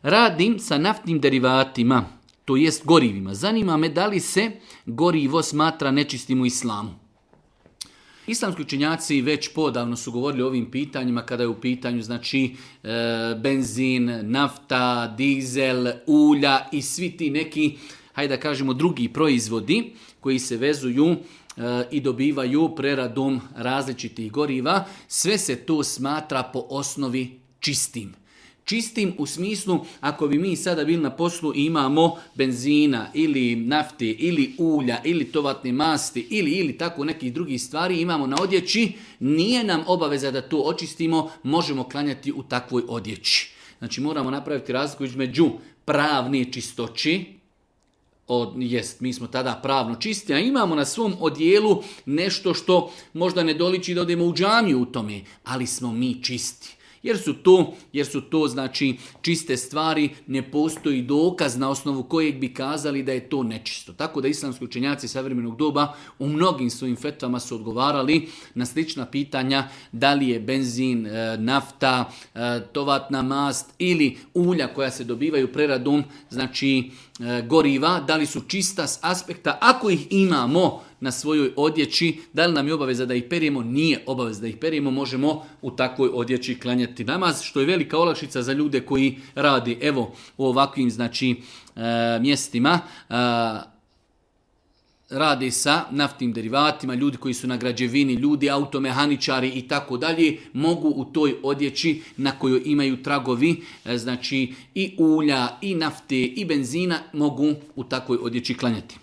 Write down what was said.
radim sa naftnim derivatima, to jest gorivima. Zanima me da li se gorivo smatra nečistim u islamu. Islamski učenjaci već podavno su govorili o ovim pitanjima kada je u pitanju znači benzin, nafta, dizel, ulja i svi ti neki, hajde da kažemo, drugi proizvodi koji se vezuju i dobivaju preradom različitih goriva. Sve se to smatra po osnovi čistim. Čistim u smislu, ako bi mi sada bili na poslu i imamo benzina ili nafte ili ulja ili tovatne masti ili tako nekih drugih stvari imamo na odjeći, nije nam obaveza da to očistimo, možemo klanjati u takvoj odjeći. Znači moramo napraviti razliku između pravne čistoći, mi smo tada pravno čisti, a imamo na svom odjelu nešto što možda ne doliči da odemo u džamiju u tome, ali smo mi čisti. Jer su to znači čiste stvari, ne postoji dokaz na osnovu kojeg bi kazali da je to nečisto. Tako da islamski učenjaci savremenog doba u mnogim svojim fetvama su odgovarali na slična pitanja da li je benzin, nafta, tovatna mast ili ulja koja se dobivaju preradom, znači goriva, da li su čista s aspekta, ako ih imamo na svojoj odjeći, da li nam je obaveza da ih perijemo? Nije obaveza da ih perijemo, možemo u takvoj odjeći klanjati namaz, što je velika olakšica za ljude koji radi u ovakvim znači mjestima, radi sa naftnim derivatima, ljudi koji su na građevini, ljudi automehaničari i tako dalje, mogu u toj odjeći na kojoj imaju tragovi, znači i ulja, i nafte, i benzina, mogu u takvoj odjeći klanjati.